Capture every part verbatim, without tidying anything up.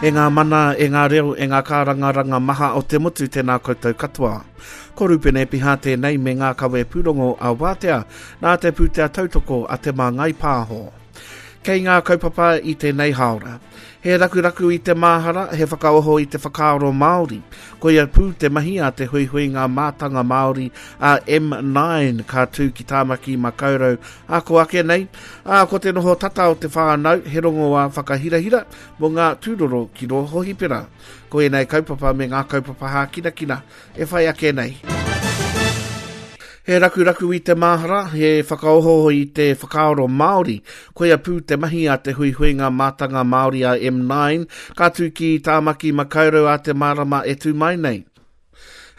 E ngā mana, e ngā reo, e ngā kārangaranga maha o te motu tēnā koutou katoa. Ko Rupene Piha tēnei me ngā kawe pūrongo a Wātea, nā te pūtea tautoko a Te Māngai Pāho. Kei ngā kaupapa i tēnei haora. He rakuraku i te māhara, he whakaoho i te whakaaro Māori. Koia pū te mahi a te huihuinga mātanga Māori a M nine ka tū ki Tāmaki Makaurau a ko ake nei. Ā, ko te noho tata o te whānau, he rongoā whakahirahira mō ngā tūroro ki rō hohipera. Ko ēnei kaupapa me ngā kaupapa hākinakina e whai ake nei. He rakuraku i te māhara, he whakaoho i te whakaaro Māori. Koia pū te mahi a te huihuinga mātanga Māori a M nine, ka tū ki Tāmaki Makaurau a te marama e tū mai nei.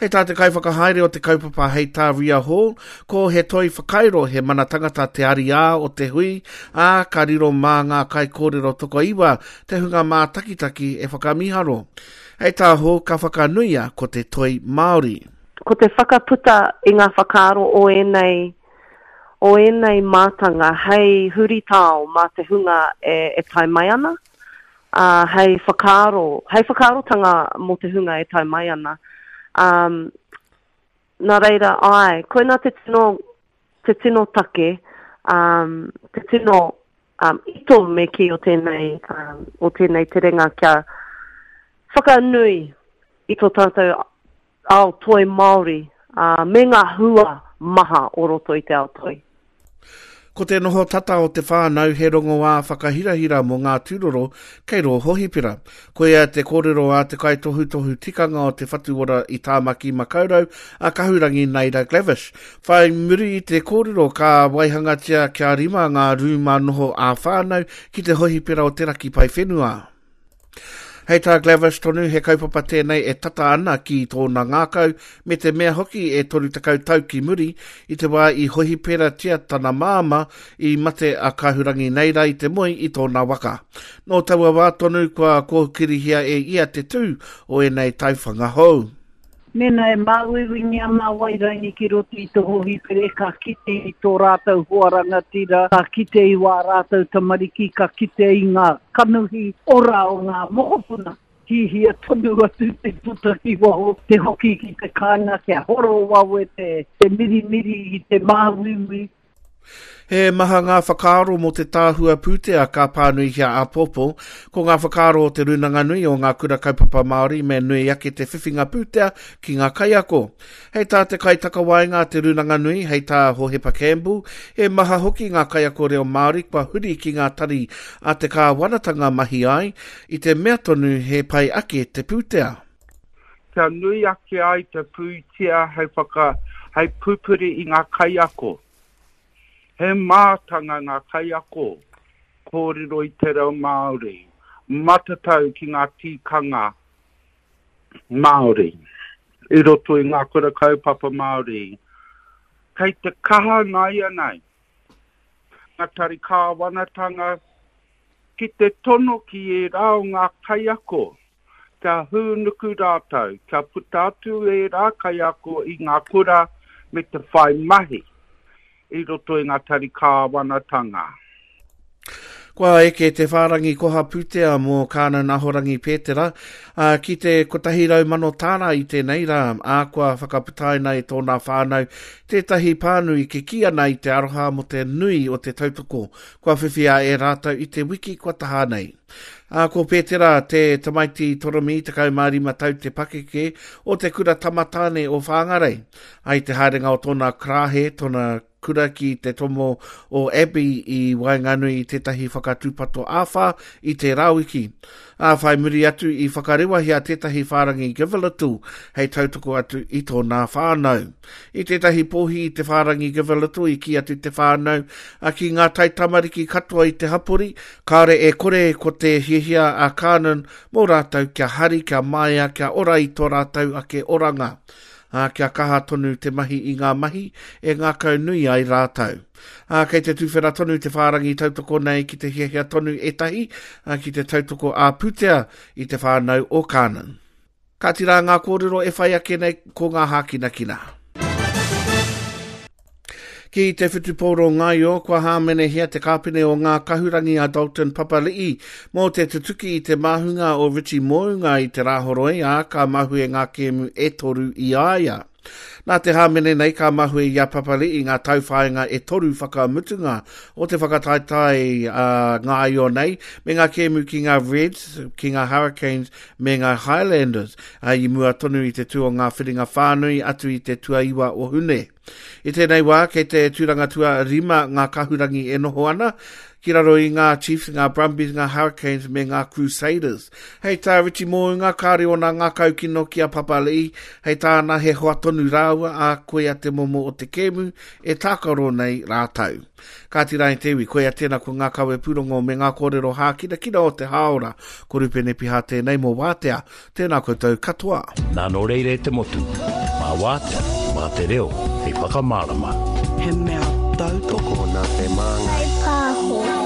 Hei tā te kaiwhakahaere o te kaupapa hei tā Ria Hall, ko he toi whakairo he mana tangata te ariā o te hui, ā, ka riro mā ngā kaikōrero tokoiwa te hunga mātakitaki e whakamiharo. Hei tā Hall, ka whakanuia ko te toi Māori. Ko te whakaputa i ngā whakaaro o ēnei, o ēnei mātanga hei huritao mā te hunga e, e tae mai ana, uh, hei whakaaro, hei whakaarotanga mō te hunga e tae mai ana. Um, nā reira, ai, koina te tino, te tino take, um, te tino um, ito me ki o tēnei, um, o tēnei terenga kia whakanui i tō tātou ao toi Māori, uh, me ngā hua maha o roto i te ao toi. Ko te noho tata o te whānau he rongoā whakahirahira mō ngā tūroro kei rō hohipera. Koia te kōrero a te kaitohutohu tikanga o te Whatuora i Tāmaki Makaurau a Kahurangi Naida Glavish. Whai muri i te kōrero ka waihangatia kia rima ngā rūma noho ā-whānau ki te hohipera o Te Raki Paewhenua. Hei tā Glavish tonu he kaupapa tēnei e tata ana ki tōna ngākau me te mea hoki e toru tekau tau ki muri i te wā i hohiperatia tana māma i mate a Kahurangi Neira i te moe i tōna waka. Nō taua wā tonu kua kōkirihia e ia te tū o ēnei taiwhanga hou. Mēnā e māuiuingi ana wairangi ki roto i te hohipere, ka kite i tō rātou hoa rangatira, ka kite i wā rātou tamariki, ka kite i ngā kanuhi ora o ngā mokopuna. Hihia tonu atu te puta ki waho, te hoki ki te kāinga, kia horo wawe te, te mirimiri i te māuiui. He maha ngā whakaaro mō te tāhua pūtea ka pānuihia āpōpō, ko ngā whakaaro o te Rūnanga Nui o ngā kura kaupapa Māori me nui ake te whiwhinga pūtea ki ngā kaiako. Hei tā te kaitakawaenga a te Rūnanga Nui, hei tā Hohepa Campbell, he maha hoki ngā kaiako reo Māori kua huri ki ngā tari a te kāwanatanga mahi ai, i te mea tonu he pai ake te pūtea. Kia nui ake ai te pūtea hei whaka, hei pupuri i ngā kaiako. He mātanga ngā kaiako, kōrero i te reo Māori, matatau ki ngā tikanga Māori, i roto i ngā kura kaupapa Māori. Kei te kaha nāianei, ngā tari kāwanatanga ki te tono ki ērā o ngā kaiako, kia hūnuku rātou, kia puta atu ērā kaiako i ngā kura me te whai mahi i roto i ngā tari kāwanatanga. Kua eke te whārangi koha pūtea mō Kānan Ahorangi Pētera, ā, ki te kotahi rau mano tāra i tēnei rā, ā, kua whakaputaina e tōna whānau tētahi pānui kikī ana i te aroha mō te nui o te tautoko kua whiwhia e rātou i te wiki kua taha nei. Ā, ko Pētera te tamaiti toromi tekau mā rima tau te pakeke o te kura tamatāne o Whāngarei. Ai te haerenga o tōna krāhe, tōna kura ki te tomo o Abbey i waenganui i tētahi whakatūpato āwhā i te rāwiki. Ā, whai muri atu i whakarewahia tētahi whārangi Give a Little hei tautoko atu i tōna whānau. I tētahi pōhi i te whārangi Give a Little i kī atu te whānau a ki ngā taitamariki katoa i te hapori, kāore e kore ko te hiahia a Kānan mō rātou kia hari, kia maia, kia ora i tō rātou ake oranga. Ā, kia kaha tonu te mahi i ngā mahi e ngākau nui ai rātou. Ā, kei te tūwhera tonu te whārangi tautoko nei ki te hiahia tonu ētahi, ā, ki te tautoko ā-pūtea i te whānau o Kānan. Ka tira ngā kōrero e whai ake nei ko ngā hākinakina. Ki te whutupōro ngaio, kua hāmenehia te kāpene o ngā kahurangi a Dalton Papali'i mō te tutuki i te māhunga o Richie Mounga i te Rāhoroi, ā, ka mahue ngā kēmu e toru i a ia. Nā te hāmene nei ka mahue i a Papali'i ngā tauwhāinga e toru whakamutunga o te whakataetae uh, ngaio nei, me ngā kēmu ki ngā Reds, ki ngā Hurricanes me ngā Highlanders, uh, i mua tonu i te tū o ngā whiringa whānui atu i te tuaiwa o Hune. I tēnei wā, kei te tūranga tua rima ngā kahurangi e noho ana, ki raro i ngā Chiefs, ngā Brumbies, ngā Hurricanes me ngā Crusaders. Hei tā Richie Mounga, kāre ona ngā kaukino ki a Papali'i, hei tāna he hoa tonu rāua a koia te momo o te kēmu e tākaro nei rātau. Kāti rā i te iwi, koia tēnā ko ngā kawe pūrongo me ngā kōrero hākinakina o te hāora. Ko Rupene Piha tēnei mō Wātea. Tēnā koutou katoa. Nā nō reira e te motu, mā Wātea, mā te reo, hei whakamārama. He mea tautoko nā te māngai. Pāho.